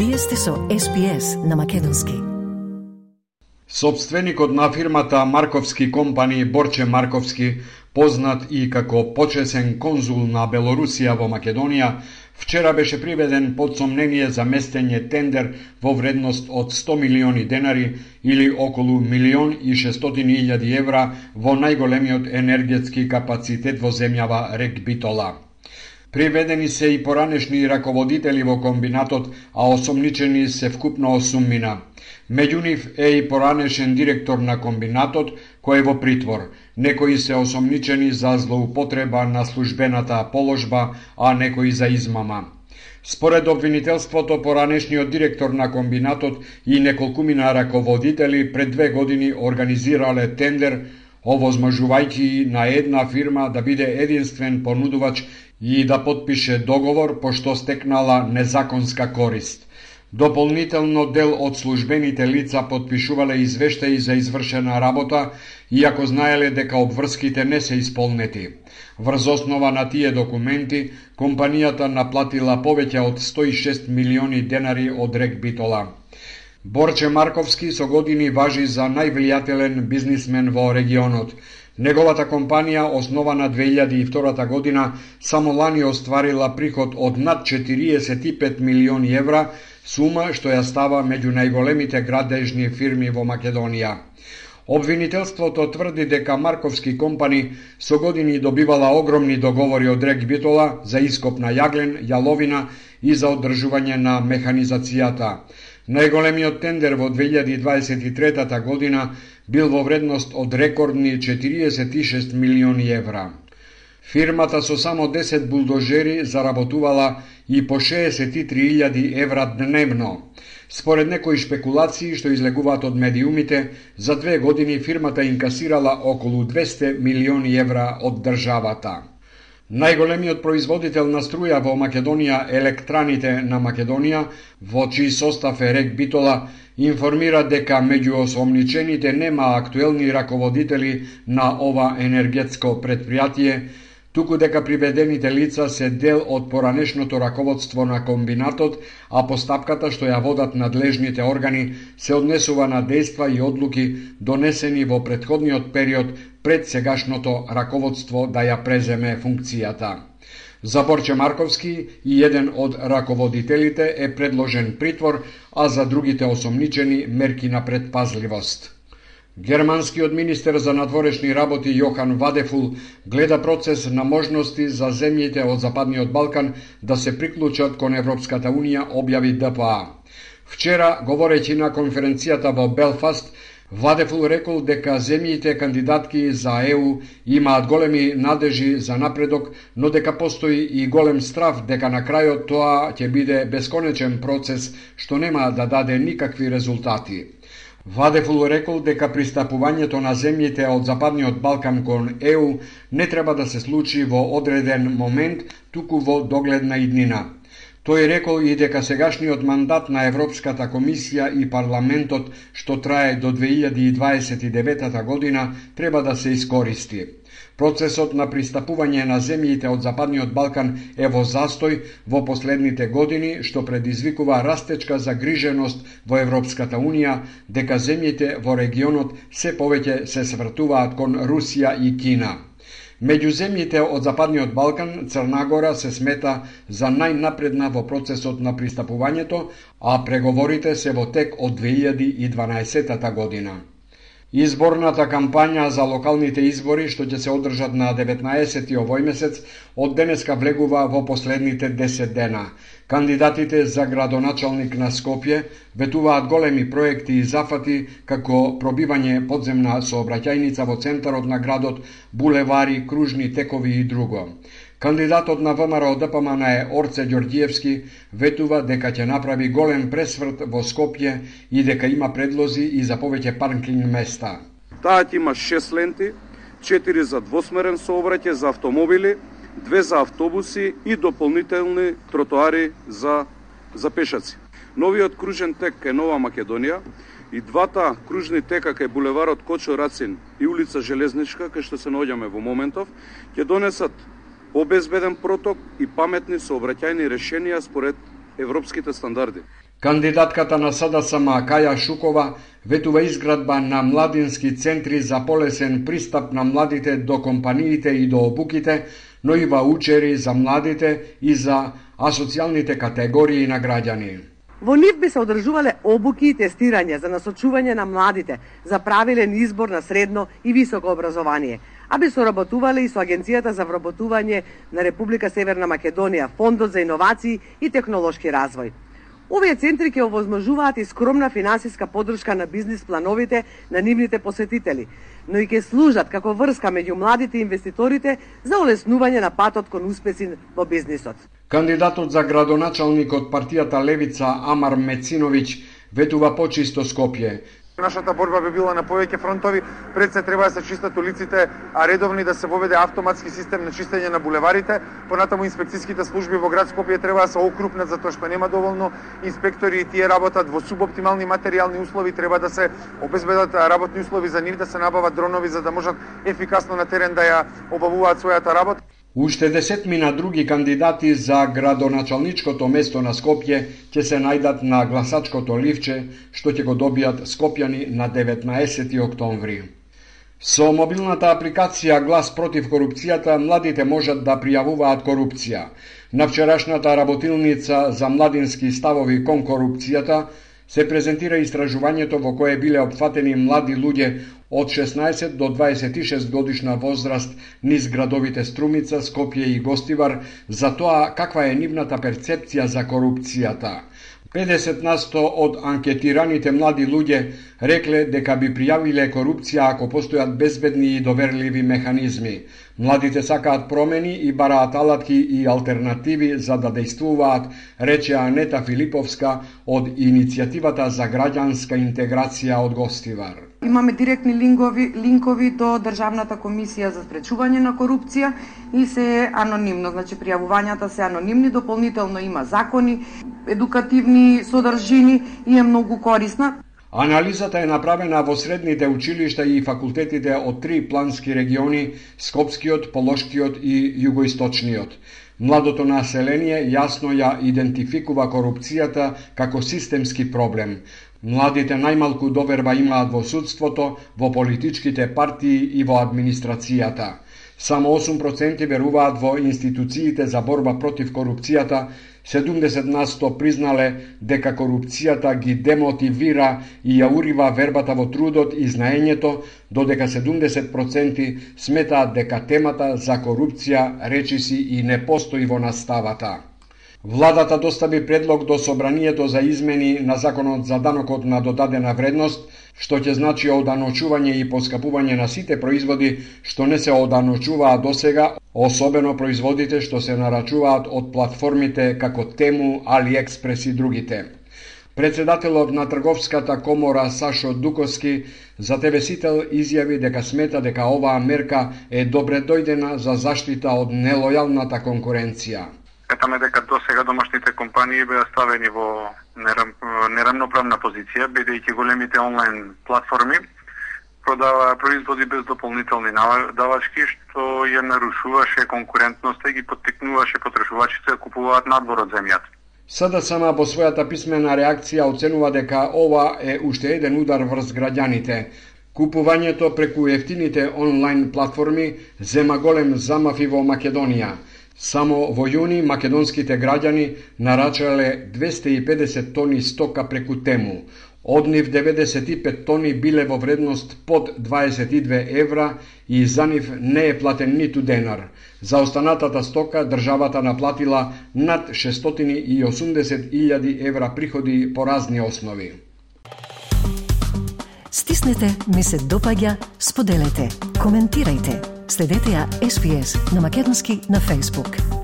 Вие сте со SPS на македонски. Собственикот на фирмата Марковски компани Борче Марковски, познат и како почесен конзул на Белорусија во Македонија, вчера беше приведен под сомнение за местење тендер во вредност од 100 милиони денари или околу 1.600.000 евра во најголемиот енергетски капацитет во земјава Рек Битола. Приведени се и поранешни раководители во комбинатот, а осомничени се вкупно 8 мина. Меѓу нив е и поранешен директор на комбинатот, кој е во притвор. Некои се осомничени за злоупотреба на службената положба, а некои за измама. Според обвинителството, поранешниот директор на комбинатот и неколкумина раководители пред 2 години организирале тендер, овозможувајќи на една фирма да биде единствен понудувач и да потпише договор, пошто стекнала незаконска корист. Дополнително дел од службените лица потпишувале извештаи за извршена работа, иако знаеле дека обврските не се исполнети. Врз основа на тие документи, компанијата наплатила повеќе од 106 милиони денари од Рек Битола. Борче Марковски со години важи за највлијателен бизнисмен во регионот. Неговата компанија, основана 2002 година, само лани остварила приход од над 45 милиони евра, сума што ја става меѓу најголемите градежни фирми во Македонија. Обвинителството тврди дека Марковски компани со години добивала огромни договори од Рек Битола за ископ на јаглен, јаловина и за одржување на механизацијата. Најголемиот тендер во 2023 година бил во вредност од рекордни 46 милиони евра. Фирмата со само 10 булдожери заработувала и по 63.000 евра дневно. Според некои шпекулации што излегуваат од медиумите, за 2 години фирмата инкасирала околу 200 милиони евра од државата. Најголемиот производител на струја во Македонија, Електраните на Македонија, во чиј состав е Рек Битола, информира дека меѓу осомничените нема актуелни раководители на ова енергетско предпријатие, туку дека приведените лица се дел од поранешното раководство на комбинатот, а постапката што ја водат надлежните органи се однесува на дејства и одлуки донесени во претходниот период пред сегашното раководство да ја преземе функцијата. За Борче Марковски и еден од раководителите е предложен притвор, а за другите осомничени мерки на предпазливост. Германскиот министер за надворешни работи Јохан Вадефул гледа процес на можности за земјите од Западниот Балкан да се приклучат кон Европската Унија, објави ДПА. Вчера, говорејќи на конференцијата во Белфаст, Вадефул рекол дека земјите кандидатки за ЕУ имаат големи надежи за напредок, но дека постои и голем страв дека на крајот тоа ќе биде бесконечен процес што нема да даде никакви резултати. Вадефул рекол дека пристапувањето на земјите од Западниот Балкан кон ЕУ не треба да се случи во одреден момент, туку во догледна иднина. Тој рекол и дека сегашниот мандат на Европската комисија и парламентот, што трае до 2029 година, треба да се искористи. Процесот на пристапување на земјите од Западниот Балкан е во застој во последните години, што предизвикува растечка загриженост во Европската Унија дека земјите во регионот се повеќе се свртуваат кон Русија и Кина. Меѓу земјите од Западниот Балкан, Црна Гора се смета за најнапредна во процесот на пристапувањето, а преговорите се во тек од 2012 година. Изборната кампања за локалните избори, што ќе се одржат на 19 овој месец, од денеска влегува во последните 10 дена. Кандидатите за градоначалник на Скопје ветуваат големи проекти и зафати, како пробивање подземна сообраќајница во центарот на градот, булевари, кружни текови и друго. Кандидатот на ВМРО ДПМН е Орце Ѓорѓиевски, ветува дека ќе направи голем пресврт во Скопје и дека има предлози и за повеќе паркинг места. Таа ќе има 6 ленти, 4 за двосмерен сообраќај за автомобили, 2 за автобуси и дополнителни тротоари за пешаци. Новиот кружен тек кај Нова Македонија и двата кружни тека кај булеварот Кочо Рацин и улица Железничка, кај што се наоѓаме во моментов, ќе донесат обезбеден проток и паметни сообраќајни решенија според европските стандарди. Кандидатката на СДСМ Каја Шукова ветува изградба на младински центри за полесен пристап на младите до компаниите и до обуките, но и ваучери за младите и за асоцијалните категории на граѓани. Во нив би се одржувале обуки и тестирање за насочување на младите за правилен избор на средно и високо образование, а би соработувале и со Агенцијата за вработување на Република Северна Македонија, Фондот за иновации и технолошки развој. Овие центри ќе овозможуваат и скромна финансиска поддршка на бизнис плановите на нивните посетители, но и ќе служат како врска меѓу младите и инвеститорите за олеснување на патот кон успеси во бизнисот. Кандидатот за градоначалник од партијата Левица Амар Мециновиќ ветува почисто Скопје. Нашата борба би била на повеќе фронтови, пред се треба да се чистат улиците, а редовни да се воведе автоматски систем на чистење на булеварите, понатаму инспекцијските служби во град Скопје треба да се окрупнат затоа што нема доволно инспектори и тие работат во субоптимални материјални услови, треба да се обезбедат работни услови за нив, да се набават дронови за да можат ефикасно на терен да ја обавуваат својата работа. Уште десетмина други кандидати за градоначалничкото место на Скопје ќе се најдат на гласачкото ливче, што ќе го добијат скопјани на 19 октомври. Со мобилната апликација Глас против корупцијата, младите можат да пријавуваат корупција. На вчерашната работилница за младински ставови кон корупцијата се презентира истражувањето во кое биле опфатени млади луѓе од 16 до 26 годишна возраст низ градовите Струмица, Скопје и Гостивар за тоа каква е нивната перцепција за корупцијата. 50% од анкетираните млади луѓе рекле дека би пријавиле корупција ако постојат безбедни и доверливи механизми. Младите сакаат промени и бараат алатки и алтернативи за да дејствуваат, рече Анета Филиповска од Иницијативата за граѓанска интеграција од Гостивар. Имаме директни линкови до Државната комисија за спречување на корупција и се анонимно, значи пријавувањата се анонимни, дополнително има закони, едукативни содржини и е многу корисна. Анализата е направена во средните училишта и факултетите од 3 плански региони, Скопскиот, Полошкиот и Југоисточниот. Младото население јасно ја идентификува корупцијата како системски проблем. Младите најмалку доверба имаат во судството, во политичките партии и во администрацијата. Само 8% веруваат во институциите за борба против корупцијата, 70% признале дека корупцијата ги демотивира и ја урива вербата во трудот и знаењето, додека 70% сметаат дека темата за корупција речиси и не постои во наставата. Владата достави предлог до Собранието за измени на Законот за данокот на додадена вредност, што ќе значи оданочување и поскапување на сите производи што не се оданочуваа досега, особено производите што се нарачуваат од платформите како Тему, Алиекспрес и другите. Председателот на Трговската комора Сашо Дуковски за ТВ Сител изјави дека смета дека оваа мерка е добре дојдена за заштита од нелојалната конкуренција. Сметаме дека досега домашните компании беа ставени во неравноправна позиција, бидејќи големите онлайн платформи продаваа производи без дополнителни давачки, што ја нарушуваше конкурентноста и ги поттикнуваше потребувачите да купуваат надвор од земјата. СДСМ во својата писмена реакција оценува дека ова е уште еден удар врз граѓаните. Купувањето преку ефтините онлайн платформи зема голем замав и во Македонија. Само во јуни македонските граѓани нарачале 250 тони стока преку Тему. Од нив 95 тони биле во вредност под 22 евра и за нив не е платен ниту денар. За останатата стока државата наплатила над 680.000 евра приходи по разни основи. Стиснете, ми се допаѓа, споделете, коментирајте. Следете ја SPS на Македонски на Facebook.